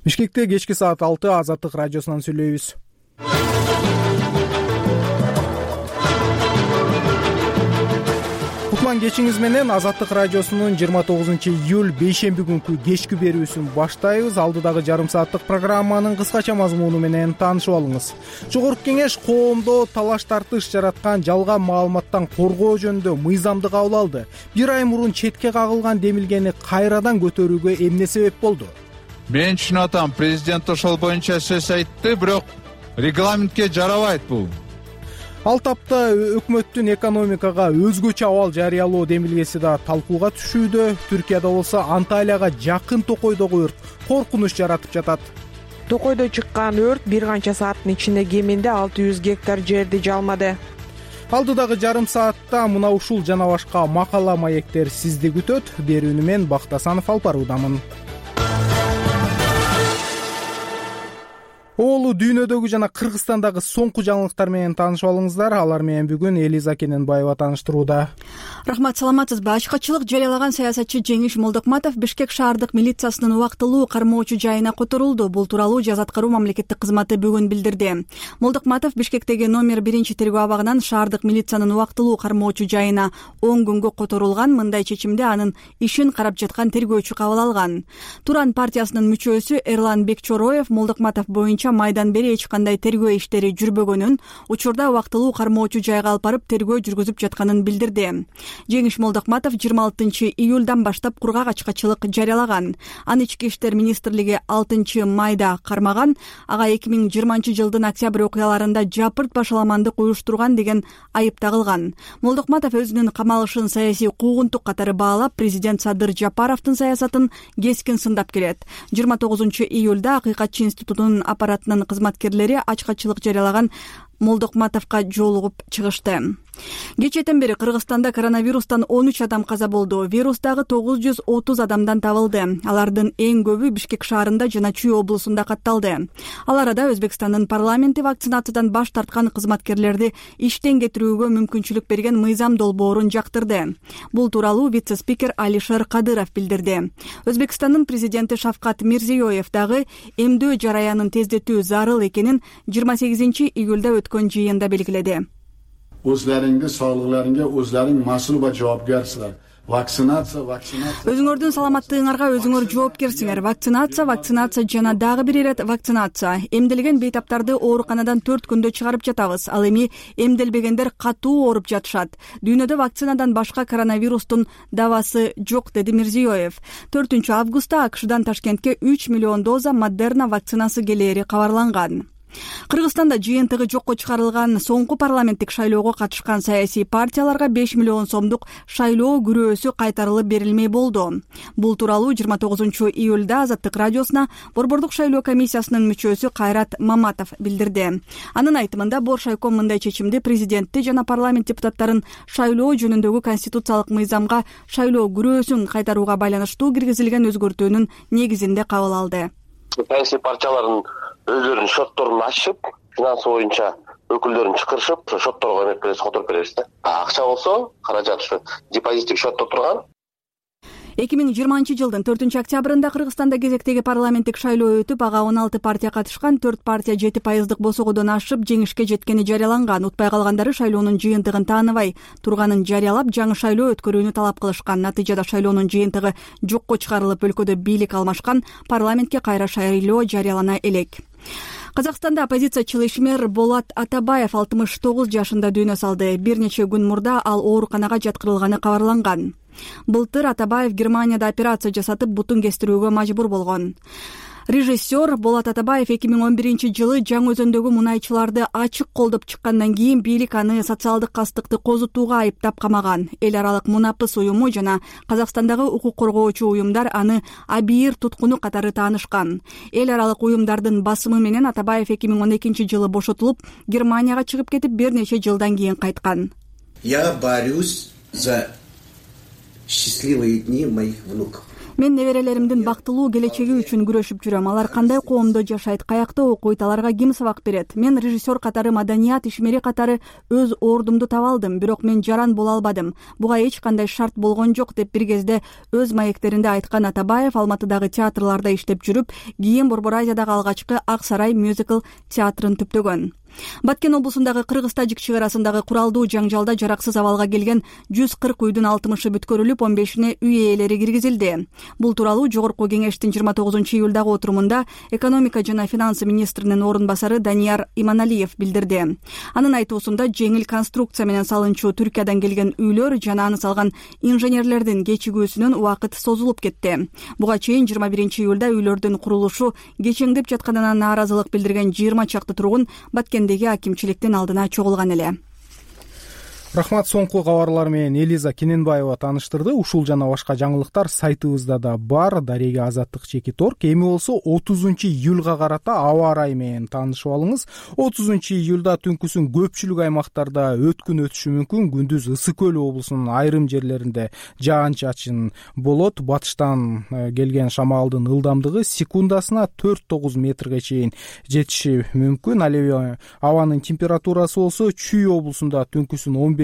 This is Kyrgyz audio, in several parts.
Бишкекте кечки саат 6 Азаттык радиосунан сүйлөйбүз. Кутман кечиңиз менен Азаттык радиосунун 29-июль бейшемби күнкү кечки берүүсүн баштайбыз. Алдыдагы жарым сааттык программанын кыскача мазмуну менен таанышып алыңыз. Жогорку кеңеш коомдо талаш тартыш жараткан жалган маалыматтан коргоо жөнүндө мыйзамды кабыл алды. Бир ай мурун четке кагылган демилгени кайрадан көтөрүүгө эмне себеп болду? Мен түшүнүп атам, президент ошол боюнча сөз айтты, бирок регламентке жарабайт бул. Ал тапта өкмөттүн экономикага өзгөчө абал жарыялоо демилгеси да талкууга түшүүдө. Түркияда болсо Анталияга жакын Токойдогу өрт коркунуч жаратып жатат. Токойдо чыккан өрт бир канча сааттын ичинде кеминде 600 гектар жерди жалмады. Алдыдагы жарым саатта мына ушул жана башка макала маектер сизди күтөт. Берүүнү мен Бактасанов алып баруудамын. Оолу дүйнөдөгү жана Кыргызстандагы соңку жаңылыктар менен таанышып алыңыздар. Алар менен бүгүн Элиза Кененбаева тааныштырууда. Рахмат, саламатсызбы? Ачкачылык жарыялаган саясатчы Жеңиш Молдокматов Бишкек шаардык милициясынын убактылуу кармоочу жайына которулду. Бул тууралуу Жаза аткаруу мамлекеттик кызматы бүгүн билдирди. Молдокматов Бишкектеги номер 1 тергөө абагынан шаардык милициянын убактылуу кармоочу жайына 10 күнгө которулган. Мындай чечимди анын ишин карап жаткан тергөөчү кабыл алган. Туран партиясынын мүчөсү Эрлан Бекчороев Молдокматов боюнча майдан бери эч кандай тергөө иштери жүрбөгөнүн, учурда убактылуу кармоочу жайга алып барып тергөө жүргүзүп жатканын билдирди. Жеңиш Молдокматов 26-июлдан баштап кургак ачкачылык жарыялаган. Аны Ички иштер министрлиги 6-майда кармаган. Ага 2020-жылдын октябрь окуяларында жапырт башаламандык уюштурган деген айып тагылган. Молдокматов өзүнүн камалышын саясий куугунтук катары баалап, президент Садыр Жапаровдун саясатын кескин сындап келет. 29-июлда Акыйкатчы институтунун аппаратынын кызматкерлери ачкачылык жарыялаган Молдокматовго жолугуп чыгышты. Кечээден бери Кыргызстанда коронавирустан 13 адам каза болду. Вирустагы 930 адамдан табылды. Алардын эң көбү Бишкек шаарында жана Чүй облусунда катталды. Ал арада Өзбекстандын парламенти вакцинациядан баш тарткан кызматкерлерди иштен кетирүүгө мүмкүнчүлүк берген мыйзам долбоорун жактырды. Бул тууралуу вице-спикер Алишер Кадыров билдирди. Өзбекстандын президенти Шавкат Мирзиёев дагы эмдөө жараянын тездетүү зарыл экенин 28-июлда өткөн жыйында белгиледи. O'zlaringizga, sog'liqlaringga o'zlaring mas'ul va javobgarsizlar. Vaksinatsiya. Өзүңөрдүн саламаттыгыңарга өзүңөр жоопкерсиңер. Вакцинация жана дагы бир ирет вакцинация. Эмделген бейтаптарды ооруканадан 4 күндө чыгарып жатабыз. Ал эми эмделбегендер катуу ооруп жатышат. Дүйнөдө вакцинадан башка коронавирустун давасы жок, деди Мирзиёев. 4-августта АКШдан Ташкентке 3 миллион доза Модерна вакцинасы келери кабарланган. Кыргызстанда жыйынтыгы жокко чыгарылган соңку парламенттик шайлоого катышкан саясий партияларга 5 миллион сомдук шайлоо күрөөсү кайтарылып берилмей болду. Бул тууралуу 29-июлда Азаттык радиосуна Борбордук шайлоо комиссиясынын мүчөсү Кайрат Маматов билдирди. Анын айтымында Боршайком мындай чечимди президентти жана парламент депутаттарын шайлоо жөнүндөгү конституциялык мыйзамга шайлоо күрөөсүн кайтарууга байланыштуу киргизилген өзгөртүүнүн негизинде кабыл алды. Саясий партиялардын өздөрүнүн шотторун ачып, финансы боюнча өкүлдөрүн чакырышып, шотторго эмек беребиз, которуп беребиз да. Акча болсо, каражат ушу депозиттик шотто турган. 2020-жылдын 4-октябрында Кыргызстанда кезектеги парламенттик шайлоо өтүп, ага 16 партия катышкан. 4 партия 7% босогодон ашып жеңишке жеткени жарыяланган. Утпай калгандары шайлоонун жыйынтыгын тааныбай турганын жарыялап, жаңы шайлоо өткөрүүнү талап кылышкан. Натыйжада шайлоонун жыйынтыгы жокко чыгарылып, өлкөдө бийлик алмашкан. Парламентке кайра шайлоо жарыялана элек. Казакстанда оппозициячыл ишмер Болот Атабаев 69 жашында дүйнө салды. Бир нече күн мурда ал ооруканага жаткырылганы кабарланган. Былтыр Атабаев Германияда операция жасатып, бутун кестирүүгө мажбур болгон. Режиссер Болот Атабаев 2011-жылы Жаңы Өзөндөгү мунайчыларды ачык колдоп чыккандан кийин бийлик аны социалдык кастыкты козутууга айыптап камаган. Эл аралык Мунапыс уюму жана Казакстандагы укук коргоочу уюмдар аны абийир туткуну катары таанышкан. Эл аралык уюмдардын басымы менен Атабаев 2012-жылы бошотулуп, Германияга чыгып кетип, бир нече жылдан кийин кайткан. Я борюсь за счастливые дни моих внуков. Мен неберелеримдин бактылуу келечеги үчүн күрөшүп жүрөм. Алар кандай коомдо жашайт, каякта окуйт, аларга ким сабак берет? Мен режиссер катары, маданият ишмери катары өз ордумду таба алдым, бирок мен жаран боло албадым. Буга эч кандай шарт болгон жок деп бир кезде өз маектеринде айткан Атабаев Алматыдагы театрларда иштеп жүрүп, кийин Борбор Азиядагы алгачкы Ак Сарай мюзикл театрын түптөгөн. Баткен облусундагы Кыргыз-Тажик чек арасындагы куралдуу жаңжалда жараксыз абалга келген 140 үйдүн 60-ы бүткөрүлүп, 15-ине үй ээлери киргизилди. Бул тууралуу Жогорку кеңештин 29-июлдагы отурумунда экономика жана финансы министринин орун басары Данияр Иманалиев билдирди. Анын айтуусунда жеңил конструкция менен салынчу Түркиядан келген үйлөр жана аны салган инженерлердин кечигүүсүнөн убакыт созулуп кетти. Буга чейин 21-июлда үйлөрдүн курулушу кечеңдеп жатканына нааразылык билдирген 20 чакты тургун Баткен акимчиликтин алдына чогулган эле. Рахмат, соңку кабарлар менен Элиза Кененбаева тааныштырды. Ушул жана башка жаңылыктар сайтыбызда да бар. Дарега Азаттык _. Эми болсо 30-июлга карата аба ырайы менен таанышып алыңыз. 30-июлда түнкүсүн көпчүлүк аймактарда өткүн өтүшү мүмкүн. Күндүз Ысык Көл облусунун айрым жерлеринде жаан-чачын болот. Батыштан келген шамалдын ылдамдыгы секундасына 4-9 метрге чейин жетиши мүмкүн. Ал эми абанын температурасы болсо Чүй облусунда түнкүсүн 15-20,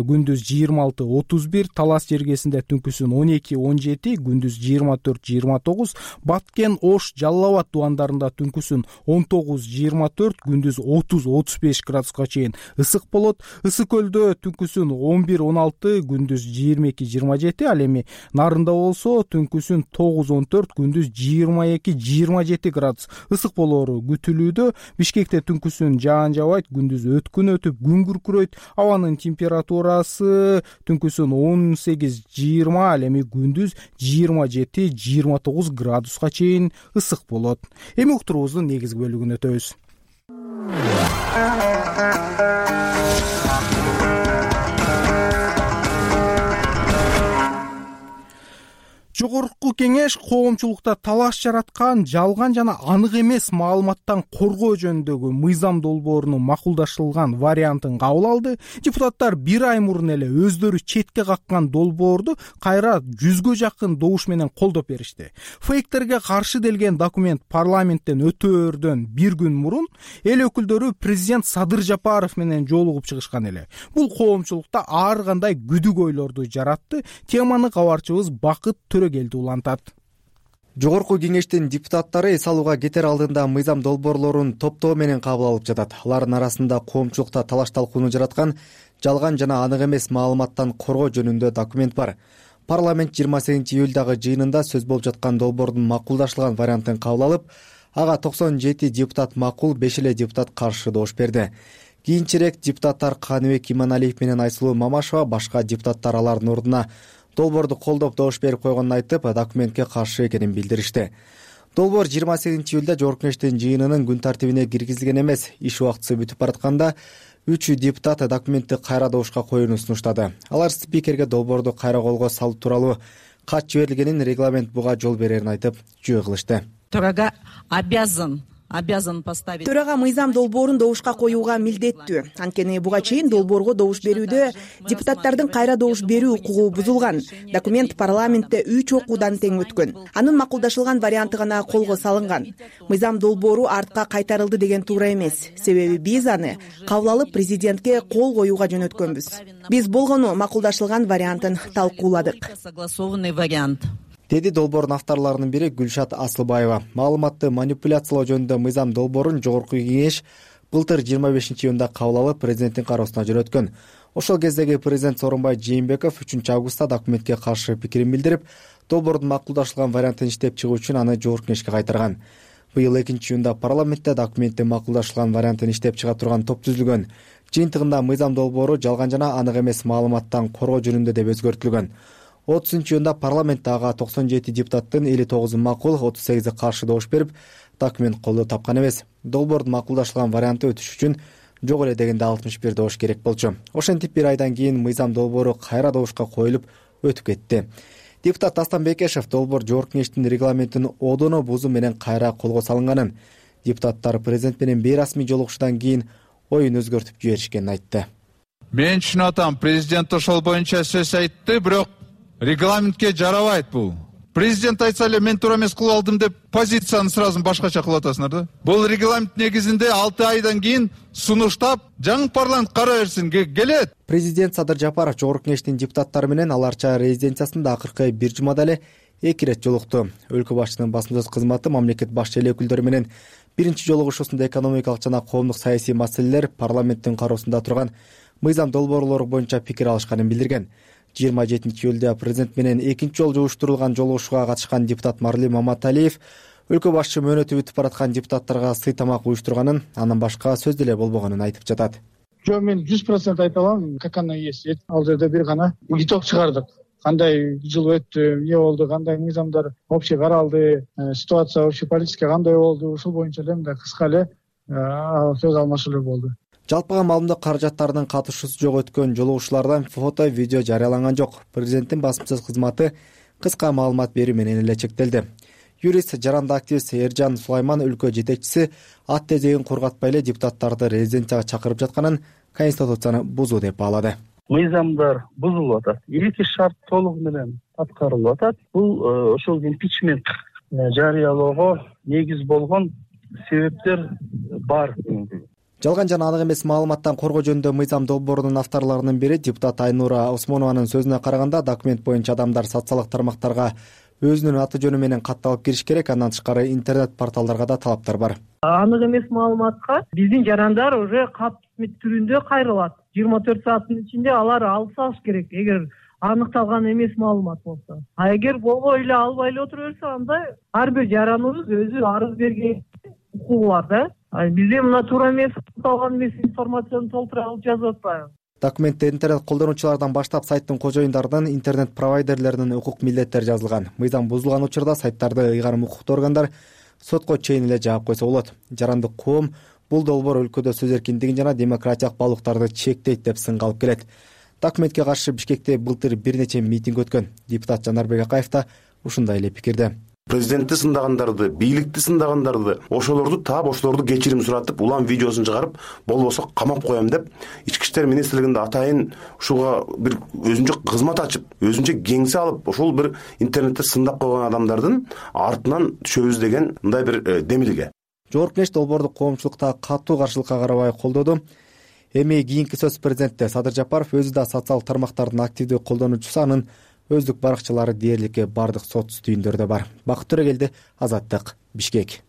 күндүз 26-31, Талас жергесинде түнкүсүн 12-17, күндүз 24-29, Баткен, Ош, Жалал Абад тубандарында түнкүсүн 19-24, күндүз 30-35 градуска чейин ысык болот. Ысык Көлдө түнкүсүн 11-16, күндүз 22-27, ал эми Нарында болсо түнкүсүн 9-14, күндүз 22-27 градус ысык болоору күтүлүүдө. Бишкекте түнкүсүн жаан жабайт, күндүз өткүн өтүп күн күркүрөйт. Абанын температурасы түнкүсүн 18-20, ал эми күндүз 27-29 градуска чейин ысык болот. Эми уктуруубуздун негизги бөлүгүнө өтөбүз. Жогорку кеңеш коомчулукта талаш жараткан жалган жана анык эмес маалыматтан коргоо жөнүндөгү мыйзам долбоорунун макулдашылган вариантын кабыл алды. Депутаттар бир ай мурун эле өздөрү четке каккан долбоорду кайра 100гө жакын добуш менен колдоп беришти. Фейктерге каршы делген документ парламенттен өтөөрдөн бир күн мурун эл өкүлдөрү президент Садыр Жапаров менен жолугуп чыгышкан эле. Бул коомчулукта ар кандай күдүк ойлорду жаратты. Теманы кабарчыбыз Бакыт Келди улантат. Жогорку кеңештин депутаттары эс алууга кетер алдында мыйзам долбоорлорун топтоо менен кабыл алып жатат. Алардын арасында коомчулукта талаш талкууну жараткан жалган жана анык эмес маалыматтан коргоо жөнүндө документ бар. Парламент 28-июлдагы жыйынында сөз болуп жаткан долбоордун макулдашылган вариантын кабыл алып, ага 97 депутат макул, 5 эле депутат каршы добуш берди. Кийинчерээк депутаттар Каныбек Иманалиев менен Айсулуу Мамашева башка депутаттар алардын ордуна долбоорду колдоп добуш берип койгонун айтып, документке каршы экенин билдиришти. Долбоор 28-июлда Жогорку кеңештин жыйынынын күн тартибине киргизилген эмес. Иш убактысы бүтүп баратканда 3 депутат документти кайра добушка коюуну сунуштады. Алар спикерге долбоорду кайра колго салуу тууралуу кат жиберилгенин, регламент буга жол берерин айтып, жөө кылышты. Төрага обязан поставить. Төрага мыйзам долбоорун добушка коюуга милдеттүү. Анткени буга чейин долбоорго добуш берүүдө депутаттардын кайра добуш берүү укугу бузулган. Документ парламентте 3 окуудан тең өткөн. Анын макулдашылган варианты гана колго салынган. Мыйзам долбоору артка кайтарылды деген туура эмес. Себеби биз аны кабыл алып президентке кол коюуга жөнөткөнбүз. Биз болгону макулдашылган вариантын талкууладык. Согласованный вариант. Деди долбоордун авторлорунун бири Гүлшат Асылбаева. Маалыматты манипуляциялоо жөнүндө мыйзам долбоорун Жогорку кеңеш былтыр 25-июнда кабыл алып президенттин кароосуна жөнөткөн. Ошол кездеги президент Сооронбай Жээнбеков 3-августта документке каршы пикирин билдирип, долбоордун макулдашылган вариантын иштеп чыгуу үчүн аны Жогорку кеңешке кайтарган. Быйыл 2-июнда парламентте документтин макулдашылган вариантын иштеп чыга турган топ түзүлгөн. Жыйынтыгында мыйзам долбоору жалган жана анык эмес маалыматтан коргоо жөнүндө деп өзгөртүлгөн. 30-июнда парламентте ага 97 депутаттын 59 макул, 38 каршы добуш берип, документ колдоо тапкан эмес. Долбоордун макулдашылган варианты өтүш үчүн жок эле дегенде 61 добуш керек болчу. Ошентип бир айдан кийин мыйзам долбоору кайра добушка коюлуп өтүп кетти. Депутат Дастан Бекешев долбоор Жогорку кеңештин регламентин одоно бузуу менен кайра колго салынганын, депутаттар президент менен бейрасмий жолугушуудан кийин оюн өзгөртүп жиберишкенин айтты. Мен түшүнүп атам, президент ошол боюнча сөз айтты, бирок регламентке жарабайт бул. президент айтса эле мен туура эмес кылып алдым деп позицияны сразу башкача кылып атасыңар да. Бул регламент негизинде 6 айдан кийин сунуштап жаңы парламент карай берсин келет. Президент Садыр Жапаров жогорку кеңештин депутаттары менен Ал Арча резиденциясында акыркы бир жумада эле 2 ирет жолукту. Өлкө башчысынын басма сөз кызматы мамлекет башчы эле өкүлдөрү менен биринчи жолугушуусунда экономикалык жана коомдук саясий маселелер, парламенттин кароосунда турган мыйзам долбоорлору боюнча пикир алышканын билдирген. 27-июлда президент менен экинчи жолу уюштурулган жолугушууга катышкан депутат Марлим Маматалиев өлкө башчы мөөнөтү бүтүп бараткан депутаттарга сый тамак уюштурганын, андан башка сөз деле болбогонун айтып жатат. Жок, мен 100% айта алам, как оно есть. Ал жерде бир гана итог чыгардык. Кандай жыл өттү, эмне болду, кандай мыйзамдар общий каралды, ситуация общеполитический кандай болду, ушул боюнча эле мындай кыска эле сөз алмашуулар болду. Жалпыга маалымдоо каражаттарынын катышуусу жок өткөн жолугушуулардан фото, видео жарыяланган жок. Президенттин басма сөз кызматы кыска маалымат берүү менен эле чектелди. Юрист, жаранды активист Эржан Сулайман өлкө жетекчиси ат тезегин кургатпай эле депутаттарды резиденцияга чакырып жатканын конституцияны бузуу деп баалады. Мыйзамдар бузулуп атат. 2 шарт толугу менен аткарылып атат. Бул ошол импичмент жарыялоого негиз болгон себептер бар. Жалган жана анык эмес маалыматтан коргоо жөнүндө мыйзам долбоорунун авторлорунун бири депутат Айнура Осмонованын сөзүнө караганда, документ боюнча адамдар социалдык тармактарга өзүнүн аты жөнү менен катталып кириш керек. Андан тышкары интернет порталдарга да талаптар бар. Анык эмес маалыматка биздин жарандар уже кат түрүндө кайрылат. 24 сааттын ичинде алар алып салыш керек, эгер аныкталган эмес маалымат болсо. А эгер болбой эле албай эле отура берсе, анда ар бир жараныбыз өзү арыз берген укугу бар да. Бизде мына туура эмес, аныкталган эмес информацияны толтура алып жазып атпайбы? Документте интернет колдонуучулардан баштап сайттын кожоюндарынын, интернет провайдерлеринин укук милдеттери жазылган. Мыйзам бузулган учурда сайттарды ыйгарым укуктуу органдар сотко чейин эле жаап койсо болот. Жарандык коом бул долбоор өлкөдө сөз эркиндигин жана демократиялык баалуулуктарды чектейт деп сынга алып келет. Документке каршы Бишкекте былтыр бир нече митинг өткөн. Депутат Жанарбек Акаев да ушундай эле пикирде. Президентти сындагандарды, бийликти сындагандарды, ошолорду таап, ошолорду кечирим суратып, улам видеосун чыгарып, болбосо камап коем деп, Ички иштер министрлигинде атайын ушуга бир өзүнчө кызмат ачып, өзүнчө кеңсе алып, ошол бир интернетте сындап койгон адамдардын артынан түшөбүз деген мындай бир демилге. Жогорку кеңеш долбоорду коомчулукта катуу каршылыкка карабай колдоду. Эми кийинки сөз президентте Садыр Жапаров өзү да социалдык тармактардын активдүү колдонуучусу, анын өздүк баракчалары дээрликке бардык сот түйүндөрдө бар. Бакыт Төрөгелди, Азаттык, Бишкек.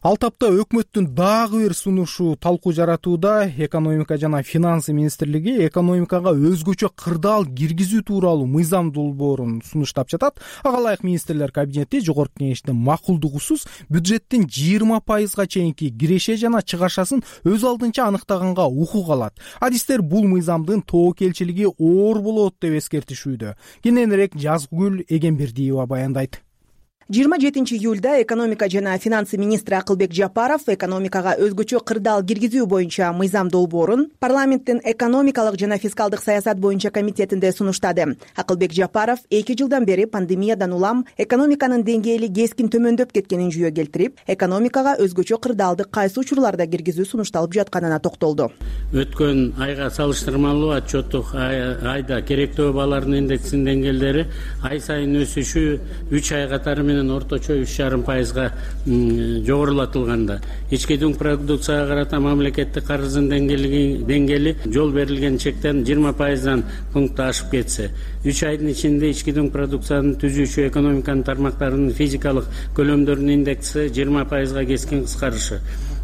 Ал тапта өкмөттүн дагы бир сунушу талкуу жаратууда. Экономика жана финансы министрлиги экономикага өзгөчө кырдаал киргизүү тууралуу мыйзам долбоорун сунуштап жатат. Ага ылайык министрлер кабинети жогорку кеңештин макулдугусуз бюджеттин 20% чейинки киреше жана чыгашасын өз алдынча аныктаганга укук алат. Адистер бул мыйзамдын тобокелчилиги оор болот деп эскертишүүдө. Кененирээк Жазгүл Эгембердиева баяндайт. 27 июлда экономика жана финансы министри Акылбек Жапаров экономикага өзгөчө кырдаал киргизүү боюнча мыйзам долбоорун парламенттин экономикалык жана фискалдык саясат боюнча комитетинде сунуштады. Акылбек Жапаров 2 жылдан бери пандемиядан улам экономиканын деңгээли кескин төмөндөп кеткенин жүйө келтирип, экономикага өзгөчө кырдаалды кайсы учурларда киргизүү сунушталып жатканына токтолду. Өткөн айга салыштырмалуу отчеттук айда керектөө баалардын индексинин деңгээлдери ай сайын өсүшү 3 ай катары орточо 3,5%га жогорулатылганда, ички дүң продукцияга карата мамлекеттик карыздын деңгээли жол берилген чектен 20%дан пункт ашып кетсе, 3 айдын ичинде ички дүң продукцияны түзүүчү экономиканын тармактарынын физикалык көлөмдөрүнүн индекси 20%га кескин кыскарышы,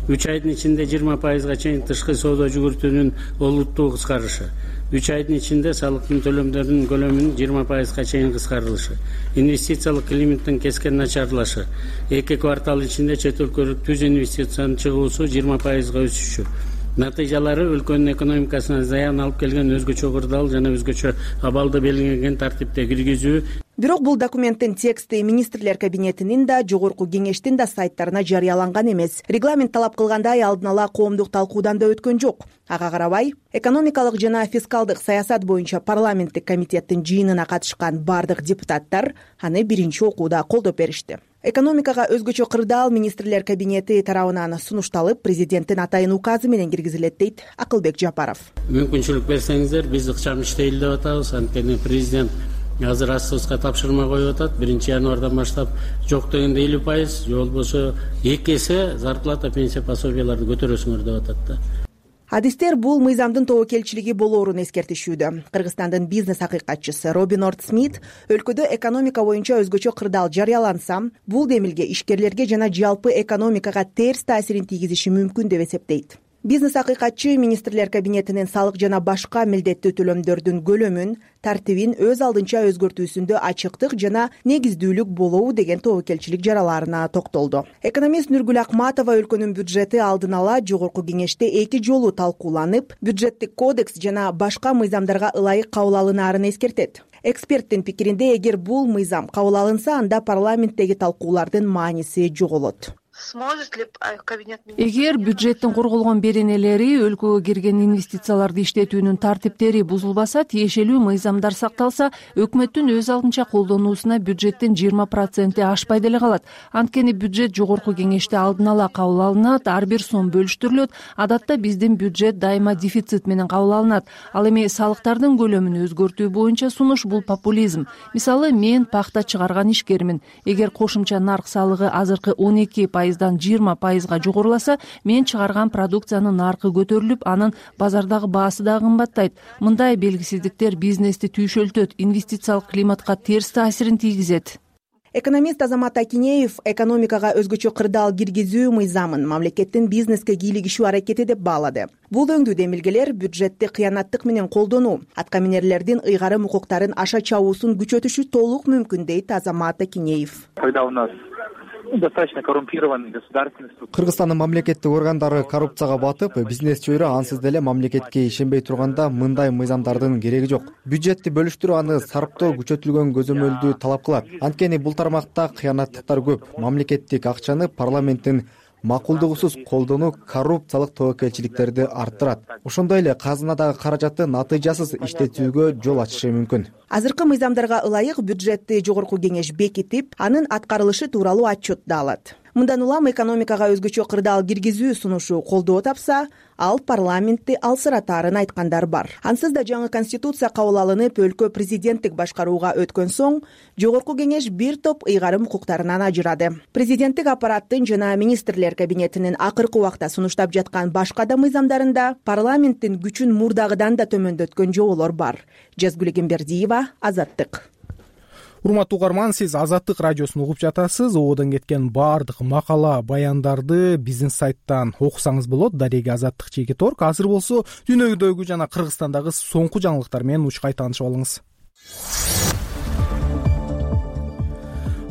3 айдын ичинде 20%га чейин тышкы соода жүгүртүүнүн олуттуу кыскарышы, 3 айдын ичинде салыктын төлөмдөрүнүн көлөмүнүн 20%га чейин кыскарылышы, инвестициялык климаттын кескен начарлашы, 2 квартал ичинде чет өлкөгө түз инвестициянын чыгуусу 20%га өсүшү. Натыйжалары өлкөнүн экономикасына зыян алып келген өзгөчө кырдаал жана өзгөчө абалды белгиленген тартипте киргизүү. Бирок бул документтин тексти министрлер кабинетинин да, жогорку кеңештин да сайттарына жарыяланган эмес. Регламент талап кылгандай алдын ала коомдук талкуудан да өткөн жок. Ага карабай, экономикалык жана фискалдык саясат боюнча парламенттик комитеттин жыйынына катышкан бардык депутаттар аны биринчи окууда колдоп беришти. Экономикага өзгөчө кырдаал министрлер кабинети тарабынан сунушталып, президенттин атайын указы менен киргизилет, дейт Акылбек Жапаров. Мүмкүнчүлүк берсеңиздер, биз ыкчам иштейли деп атабыз. Анткени президент азыр АСОСко тапшырма коюп атат. 1-январдан баштап жок дегенде 50%, же болбосо 2 эсе зарплата, пенсия, пособияларды көтөрөсүңөр деп атат да. Адистер бул мыйзамдын тобокелчилиги болоорун эскертишүүдө. Кыргызстандын бизнес акыйкатчысы Робин Орд Смит өлкөдө экономика боюнча өзгөчө кырдаал жарыяланса, бул демилге ишкерлерге жана жалпы экономикага терс таасирин тийгизиши мүмкүн деп эсептейт. Бизнес акыйкатчы министрлер кабинетинин салык жана башка милдеттүү төлөмдөрдүн көлөмүн, тартибин өз алдынча өзгөртүүсүндө ачыктык жана негиздүүлүк болобу деген тобокелчилик жараларына токтолду. Экономист Нургүл Акматова өлкөнүн бюджети алдын ала жогорку кеңеште 2 жолу талкууланып, бюджеттик кодекс жана башка мыйзамдарга ылайык кабыл алынаарын эскертет. Эксперттин пикиринде, эгер бул мыйзам кабыл алынса, анда парламенттеги талкуулардын мааниси жоголот. Эгер бюджеттин корголгон беренелери, өлкөгө кирген инвестицияларды иштетүүнүн тартиптери бузулбаса, тиешелүү мыйзамдар сакталса, өкмөттүн өз алдынча колдонуусуна бюджеттин 20% ашпай деле калат. Анткени бюджет жогорку кеңеште алдын ала кабыл алынат, ар бир сом бөлүштүрүлөт. Адатта биздин бюджет дайыма дефицит менен кабыл алынат. Ал эми салыктардын көлөмүн өзгөртүү боюнча сунуш бул популизм. Мисалы, мен пахта чыгарган ишкермин. Эгер кошумча нарк салыгы азыркы 12% 20% жогоруласа, мен чыгарган продукциянын наркы көтөрүлүп, анын базардагы баасы да кымбаттайт. Мындай белгисиздиктер бизнести түйшөлтөт, инвестициялык климатка терс таасирин тийгизет. Экономист Азамат Акинеев экономикага өзгөчө кырдаал киргизүү мыйзамын мамлекеттин бизнеске кийлигишүү аракети деп баалады. Бул өңдүү демилгелер бюджетти кыянаттык менен колдонуу, аткаминерлердин ыйгарым укуктарын аша чабуусун күчөтүшү толук мүмкүн, дейт Азамат Акинеев. Достаточно коррумпированный государственный структура. Кыргызстандын мамлекеттик органдары коррупцияга батып, бизнес чөйрө ансыз деле мамлекетке ишенбей турганда мындай мыйзамдардын кереги жок. Бюджетти бөлүштүрүү, аны сарптоо күчөтүлгөн көзөмөлдү талап кылат. Анткени бул тармакта кыянаттыктар көп. Мамлекеттик акчаны парламенттин макулдугусуз колдонуу коррупциялык тобокелчиликтерди арттырат. Ошондой эле казынадагы каражатты натыйжасыз иштетүүгө жол ачышы мүмкүн. Азыркы мыйзамдарга ылайык бюджетти жогорку кеңеш бекитип, анын аткарылышы тууралуу отчет да алат. Мындан улам экономикага өзгөчө кырдаал киргизүү сунушу колдоо тапса, ал парламентти алсыратаарын айткандар бар. Ансыз да жаңы конституция кабыл алынып, өлкө президенттик башкарууга өткөн соң, жогорку кеңеш бир топ ыйгарым укуктарынан ажырады. Президенттик аппараттын жана министрлер кабинетинин акыркы убакта сунуштап жаткан башка да мыйзамдарында парламенттин күчүн мурдагыдан да төмөндөткөн жоболор бар. Жазгүл Эмбердиева, Азаттык. Урматтуу угарман, сиз Азаттык радиосун угуп жатасыз. Ободон кеткен баардык макала, баяндарды биздин сайттан окусаңыз болот. Дареги Азаттык /org. Азыр болсо дүйнөдөгү жана Кыргызстандагы соңку жаңылыктар менен учкай таанышып алыңыз.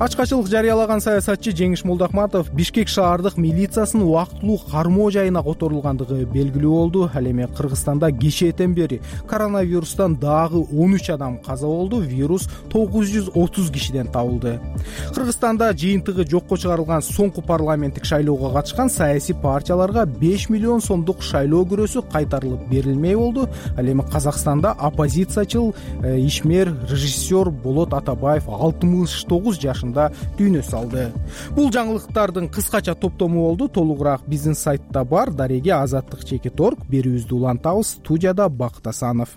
Ачкачылык жарыялаган саясатчы Жеңиш Молдокматов Бишкек шаардык милициясынын убактылуу кармоо жайына которулгандыгы белгилүү болду. Ал эми Кыргызстанда кечээден бери коронавирустан дагы 13 адам каза болду. Вирус 930 кишиден табылды. Кыргызстанда жыйынтыгы жокко чыгарылган соңку парламенттик шайлоого катышкан саясий партияларга 5 миллион сомдук шайлоо күрөсү кайтарылып берилмей болду. Ал эми Казакстанда оппозициячыл ишмер режиссер Болот Атабаев 69 жашында дүйнө салды. Бул жаңылыктардын кыскача топтому болду. Толугураак биздин сайтта бар. Дареги Азаттык /org. Берүүбүздү улантабыз. Студияда Бакыт Асанов.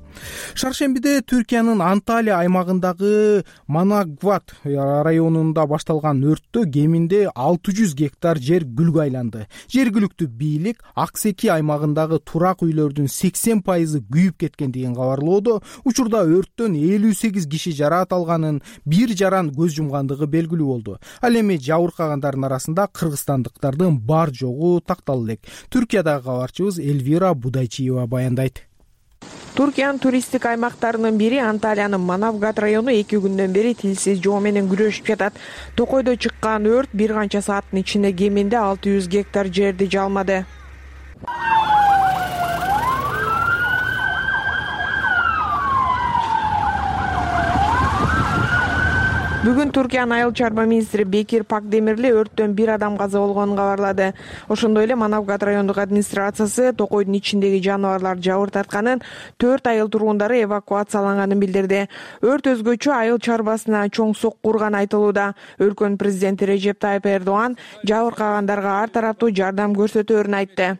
Шаршембиде Түркиянын Анталия аймагындагы Манагват районунда башталган өрттө кеминде 600 гектар жер күлгө айланды. Жергиликтүү бийлик Аксеки аймагындагы турак үйлөрдүн 80% күйүп кеткендигин кабарлоодо. Учурда өрттөн 58 киши жараат алганын, бир жаран көз жумгандыгы белгилүү болду. Ал эми жабыркагандардын арасында кыргызстандыктардын бар жогу тактала элек. Түркиядагы кабарчыбыз Эльвира Будайчиева баяндайт. Түркиянын туристтик аймактарынын бири Анталиянын Манавгат району 2 күндөн бери тилсиз жоо менен күрөшүп жатат. Токойдо чыккан өрт бир канча сааттын ичинде кеминде 600 гектар жерди жалмады. Бүгүн Туркиянын айыл чарба министри Бекир Пакдемирли өрттөн бир адам каза болгонун кабарлады. Ошондой эле Манавгат райондук администрациясы токойдун ичиндеги жаныбарлар жабыр тартканын, 4 айыл тургундары эвакуацияланганын билдирди. Өрт өзгөчө айыл чарбасына чоң сокку урганы айтылууда. Өлкөнүн президенти Режеп Тайып Эрдоган жабыркагандарга ар тараптуу жардам көрсөтөөрүн айтты.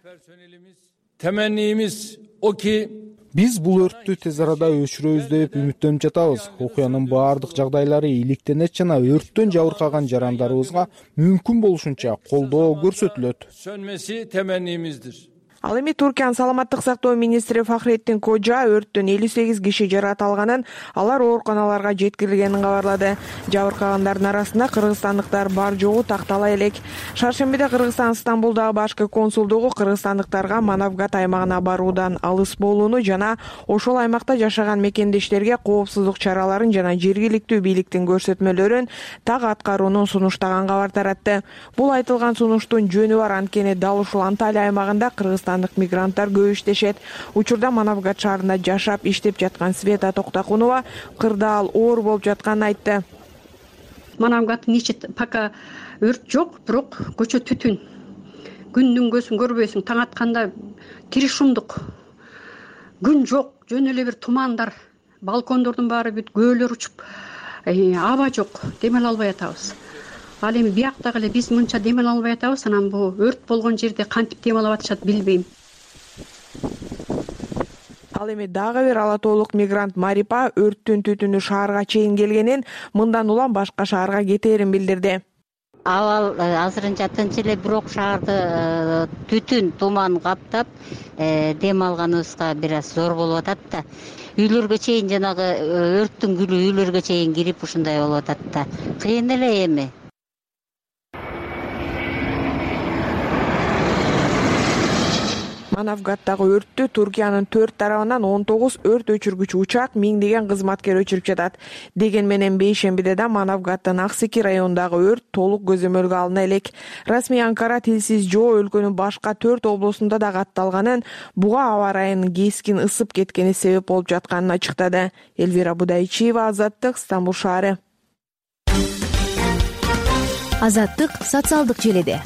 Temennimiz o ki биз бул өрттү тез арада өчүрөбүз деп үмүттөнүп жатабыз. Окуянын баардык жагдайлары иликтенет жана өрттөн жабыркаган жарандарыбызга мүмкүн болушунча колдоо көрсөтүлөт. sönmesi temennimizdir. Ал эми Туркиянын саламаттык сактоо министри Фахреттин Кожа өрттөн 58 киши жараталганын, алар ооруканаларга жеткирилгенин кабарлады. Жабыркагандардын арасында кыргызстандыктар бар жогу тактала элек. Шаршембиде Кыргызстан Стамбулдагы башкы консулдугу кыргызстандыктарга Манавгат аймагына баруудан алыс болууну жана ошол аймакта жашаган мекендештерге коопсуздук чараларын жана жергиликтүү бийликтин көрсөтмөлөрүн так аткаруунун сунуштаган кабар таратты. Бул айтылган сунуштун жөнү бар, анткени дал ушул Анталия аймагында Кыргызстандык мигранттар көп иштешет. Учурда Манавгат шаарында жашап иштеп жаткан Света Токтакунова кырдаал оор болуп жатканын айтты. Манавгаттын ичи пока өрт жок, бирок көчө түтүн. Күндүн көзүн көрбөйсүң, таң атканда тири шумдук. Күн жок, жөн эле бир тумандар, балкондордун баары бүт көөлөр учуп, аба жок, демеле албай атабыз. Ал эми бияктагы эле биз мынча демеле албай атабыз, анан бул өрт болгон жерде кантип демалып атышат билбейм. Ал эми дагы бир ала тоолук мигрант Марипа өрттүн түтүнү шаарга чейин келгенин, мындан улам башка шаарга кетээрин билдирди. Абал азырынча тынч эле, бирок шаарды түтүн, туман каптап, дем алганыбызга бир аз зор болуп атат да. Үйлөргө чейин жанагы өрттүн күлү үйлөргө чейин кирип ушундай болуп атат да. Кыйын эле эми. Манавгаттагы өрттү Туркиянын 4 тарабынан 19 өрт өчүргүч учак, миңдеген кызматкер өчүрүп жатат. Деген менен бейшембиде да Манавгаттын Аксики районундагы өрт толук көзөмөлгө алына элек. Расмий Анкара тилсиз жоо өлкөнүн башка 4 облусунда да катталганын, буга аба ырайынын кескин ысып кеткени себеп болуп жатканын ачыктады. Элвира Будайчиева, Азаттык, Стамбул шаары. Азаттык социалдык желиде.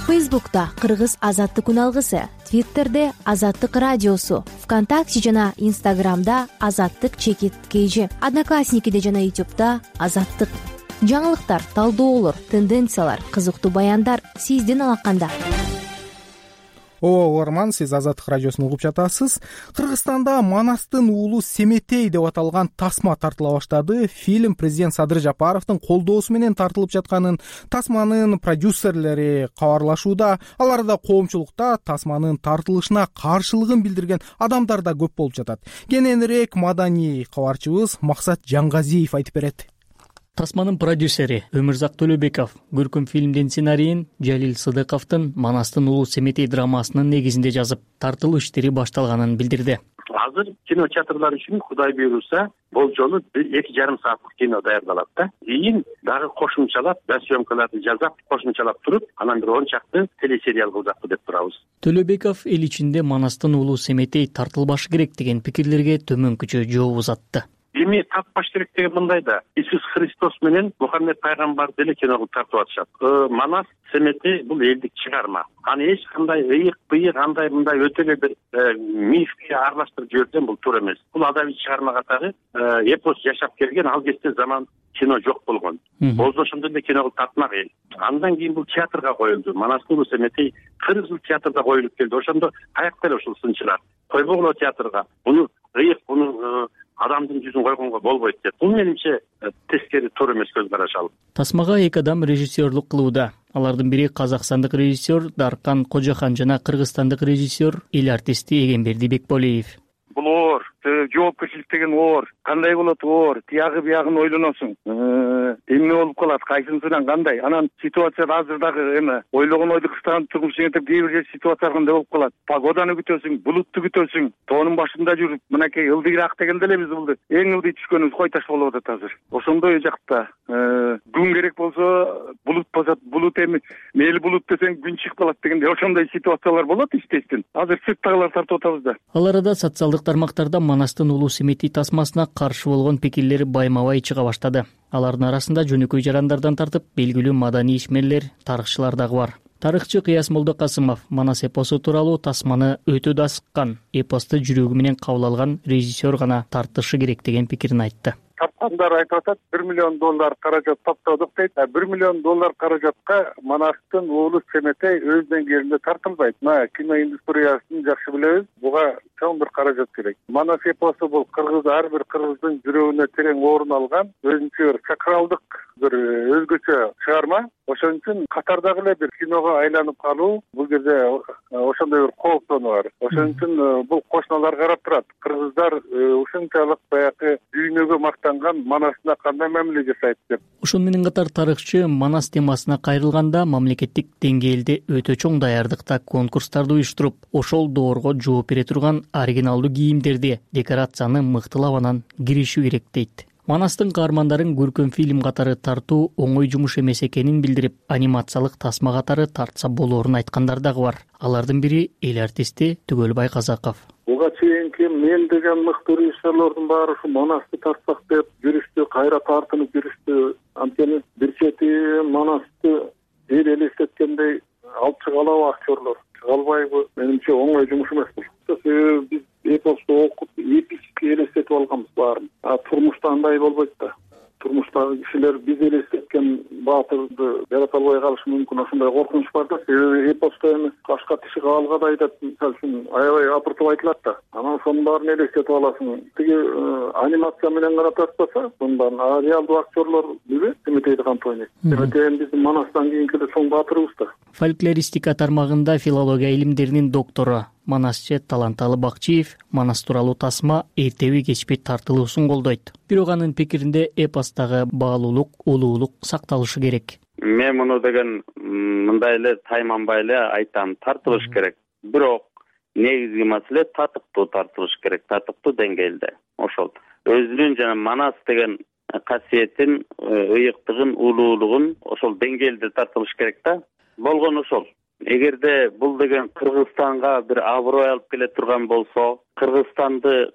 Фейсбукта Кыргыз Азаттык күн алгысы, Твиттерде Азаттык радиосу, ВКонтакте жана Инстаграмда Азаттык _KG, Одноклассникиде жана Ютубта Азаттык. Жаңылыктар, талдоолор, тенденциялар, кызыктуу баяндар сиздин алаканда. Угарман, сиз Азаттык радиосун угуп жатасыз. Кыргызстанда Манастын уулу Семетей деп аталган тасма тартыла баштады. Фильм президент Садыр Жапаровдун колдоосу менен тартылып жатканын тасманын продюсерлери кабарлашууда. Аларда коомчулукта тасманын тартылышына каршылыгын билдирген адамдар да көп болуп жатат. Кененирээк маданий кабарчыбыз Максат Жаңгазиев айтып берет. Тасманын продюсери Өмүрзак Төлөбеков көркөм фильмдин сценарийин Жалил Сыдыковдун Манастын уулу Семетей драмасынын негизинде жазып, тартылуу иштери башталганын билдирди. Азыр кинотеатрлар үчүн Кудай буйруса болжолу 2,5 сааттык кино даярдалат да. Кийин дагы кошумчалап, съемкаларды жазап, кошумчалап туруп, анан бир 10 чакты телесериал кылдакпы деп турабыз. Төлөбеков эл ичинде Манастын уулу Семетей тартылбашы керек деген пикирлерге төмөнкүчө жооп узатты. Эми таппаш керек деген мындай да. Иисус Христос менен Мухаммед пайгамбар деле кино кылып тартып атышат. Манас Семетей бул элдик чыгарма. Аны эч кандай ыйык андай мындай өтө эле бир мифке аралаштырып жиберген бул туура эмес. Бул адабий чыгарма катары эпос жашап келген, ал кезде заман кино жок болгон. Болсо ошондой эле кино кылып тартмак эл. Андан кийин бул театрга коюлду. Манастын уулу Семетей 40 жыл театрда коюлуп келди. Ошондо каякта эле ушул сынчылар койбогула театрга. Буну ыйык, буну адамдын жүзүн койгонго болбойт деп. Бул менимче тескери туура эмес көз караш ал. Тасмага 2 адам режиссерлук кылууда. Алардын бири казакстандык режиссер Даркан Кожахан жана кыргызстандык режиссер эл артисти Эгемберди Бекболиев. Бул оор, жоопкерчилик деген оор. Кандай болот оор? Тиягы биягын ойлоносуң. Эмне болуп калат, кайсынысынан кандай? Анан ситуацияда азырдагы эме ойлогон ойду кыстаган турмуш жеңип кээ бир ситуациялар кандай болуп калат? Погоданы күтөсүң, булутту күтөсүң, тоонун башында жүрүп, мынакей ылдыйраак дегенде эле биз булду. Эң ылдый түшкөнүбүз кой таш болуп атат азыр. Ошондой жакта күн керек болсо булут басат, булут эми мейли булут десең күн чыгып калат дегенде ошондой ситуациялар болот иштештин. Азыр сырттагылар тартып атабыз да. Ал арада социалдык тармактарда Манастын улуу Семетий тасмасына каршы болгон пикирлер байма-бай чыга баштады. Алардын арасында жөнөкөй жарандардан тартып белгилүү маданий ишмерлер, тарыхчылар дагы бар. Тарыхчы Кыяс Молдокасымов Манас эпосу тууралуу тасманы өтө да сыккан, эпосты жүрөгү менен кабыл алган режиссер гана тартышы керек деген пикирин айтты. Тапкандар айтып атат, $1 миллион каражат топтодук дейт. $1 миллион каражатка Манастын уулу Семетей өз деңгээлинде тартылбайт. Мына кино индустриясын жакшы билебиз. Буга чоң бир каражат керек. Манас эпосу бул кыргыз, ар бир кыргыздын жүрөгүнө терең орун алган, өзүнчө бир сакралдык, бир өзгөчө чыгарма. Ошон үчүн катардагы эле бир киного айланып калуу бул жерде ошондой бир кооптонуу бар. Ошон үчүн бул кошуналар карап турат. Кыргыздар ушунчалык баягы дүйнөгө мактанган Манасына кандай мамиле жасайт деп. Ошон менен катар тарыхчы Манас темасына кайрылганда мамлекеттик деңгээлде өтө чоң даярдыкта конкурстарды уюштуруп, ошол доорго жооп бере турган оригиналдуу кийимдерди, декорацияны мыктылап анан киришүү керек дейт. Манастын каармандарын көркөм фильм катары тартуу оңой жумуш эмес экенин билдирип, анимациялык тасма катары тартса болоорун айткандар дагы бар. Алардын бири эл артисти Түгөлбай Казаков. Буга чейинки мен деген мыкты режиссерлордун баары ушу Манасты тартсак деп жүрүштү, кайра тартынып жүрүштү. Анткени бир чети Манасты эл элестеткендей алып чыга алабы актерлор? Чыга албайбы? Менимче оңой жумуш эмес бул. Себеби биз эпосту окуп, эпически элестетип алганбыз баарын. Турмушта андай болбойт да. Турмуштагы кишилер биз элестеткен баатырды жарата албай калышы мүмкүн, ошондой коркунуч бар да. Себеби эпосто эми кашка тиши каалгадай деп, мисалы үчүн аябай апыртып айтылат да. Анан ошонун баарын элестетип аласың. Тиги анимация менен гана тартпаса, сонун баарын реалдуу актерлор билбейт Семетейди кантип ойнойт. Семетей биздин Манастан кийинки чоң баатырыбыз да. Фольклористика тармагында филология илимдеринин доктору Манасчы Таланталы Бакчиев Манас тууралуу тасма эртеби кечпи тартылуусун колдойт. Бирок анын пикиринде эпостагы баалуулук, улуулук сакталышы керек. Мен муну деген мындай эле тайманбай эле айтам, тартылыш керек. Бирок негизги маселе татыктуу тартылыш керек, татыктуу деңгээлде. Ошол өзүнүн жана Манас деген касиетин, ыйыктыгын, улуулугун ошол деңгээлде тартылыш керек да. Болгону ошол. Эгерде бул деген Кыргызстанга бир аброй алып келе турган болсо, Кыргызстанды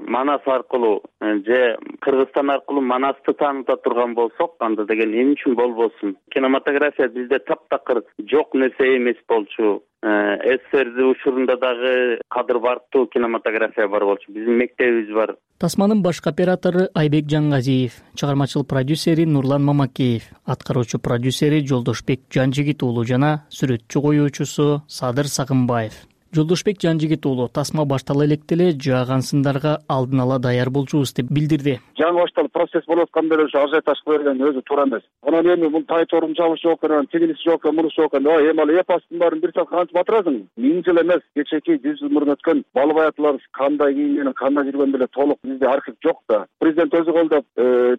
Манас аркылуу же Кыргызстан аркылуу Манасты тааныта турган болсок, анда деген эмне үчүн болбосун? Кинематография бизде таптакыр жок нерсе эмес болчу. СССР учурунда дагы кадыр бартуу кинематография бар болчу. Биздин мектебибиз бар. Тасманын башкы оператору Айбек Жангазиев, чыгармачыл продюсери Нурлан Мамакеев, аткаруучу продюсери Жолдошбек Жанжигит уулу жана сүрөтчү коюучусу Садыр Сагынбаев. Жолдошбек Жанжигит уулу тасма баштала электе эле жааган сындарга алдын ала даяр болчубуз деп билдирди. Жаңы башталып процесс болуп атканда эле ажиотаж кыла берген өзү туура эмес. Анан эми бул тайторун жабыш жок экен, тигиниси жок экен, мунусу жок экен. Эми ал эпостун баарын бир саат кантип батырасың? 1000 жыл эмес, кечеки 100 жыл мурун өткөн бал баятылар кандай кийингени, кандай жүргөн деле толук бизде архив жок да. Президент өзү колдоп,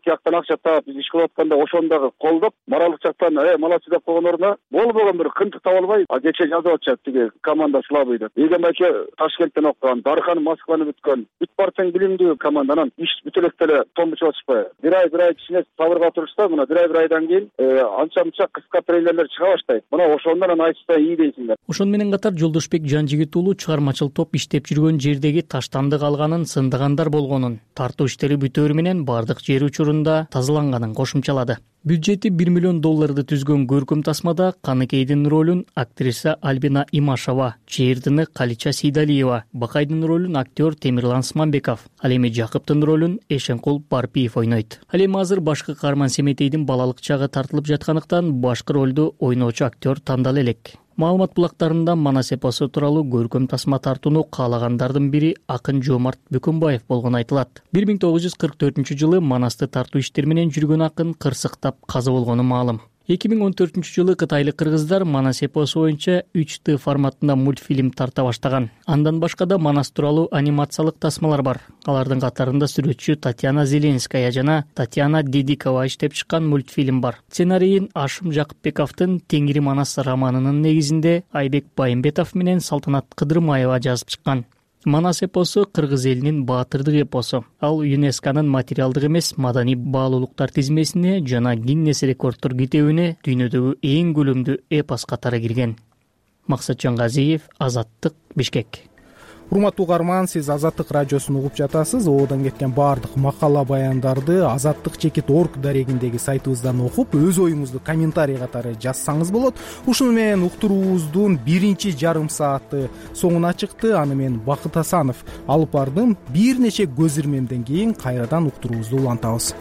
тияктан акча таап биз иш кылып атканда ошону дагы колдоп, моралдык жактан молодцы деп койгон ордуна болбогон бир кынтык таба албай, кече жазып атышат тиги команда слабый деп. Эгембайке Ташкенттен окуган, Дархан Москваны бүткөн, бүт партияң билимдүү команданан иш бүтө электе эле томбучуп атышпайбы? Бир ай кичине сабырга турушса, мына бир айдан кийин анча-мынча кыска трейлерлер чыга баштайт. Мына ошондон айтышса ий дейсиңер. Ошон менен катар Жолдошбек Жанжигит уулу чыгармачыл топ иштеп жүргөн жердеги таштанды калганын, сындыгандар болгонун, тартуу иштери бүтөөрү менен бардык жер учурунда тазаланганын кошумчалады. Бюджети $1 миллион түзгөн көркөм тасмада Каныкейдин ролун актриса Альбина Имашева, Чээрдини Калича Сейдалиева, Бакайдын ролун актер Темирлан Сманбеков, ал эми Жакыптын ролун Эшенкул Барпиев ойнойт. Ал эми азыр башкы каарман Семетейдин балалык чагы тартылып жаткандыктан башкы ролду ойноочу актер тандала элек. Маалымат булактарында Манас эпосу тууралуу көркөм тасма тартууну каалагандардын бири акын Жоомарт Бүкүнбаев болгону айтылат. 1944-жылы Манасты тартуу иштери менен жүргөн акын кырсыктап каза болгону маалым. 2014-жылы кытайлык кыргыздар Манас эпосу боюнча 3Т форматында мультфильм тарта баштаган. Андан башка да Манас тууралуу анимациялык тасмалар бар. Алардын катарында сүрөтчү Татьяна Зеленская жана Татьяна Дедикова иштеп чыккан мультфильм бар. Сценарийин Ашым Жакыпбековдун Теңири Манас романынын негизинде Айбек Байымбетов менен Салтанат Кыдырмаева жазып чыккан. Манас эпосу кыргыз элинин баатырдык эпосу. Ал ЮНЕСКОнун материалдык эмес маданий баалуулуктар тизмесине жана Гиннес рекорддор китебине дүйнөдөгү эң көлөмдүү эпос катары кирген. Максат Жангазиев, Азаттык, Бишкек. урматтуу угарман, сиз Азаттык радиосун угуп жатасыз. Ободон кеткен баардык макала баяндарды azattik.org дарегиндеги сайтыбыздан окуп, өз оюңузду комментарий катары жазсаңыз болот. Ушуну менен уктуруубуздун биринчи жарым сааты соңуна чыкты. Аны мен Бакыт Асанов алып бардым. Бир нече көз ирмемден кийин кайрадан уктуруубузду улантабыз.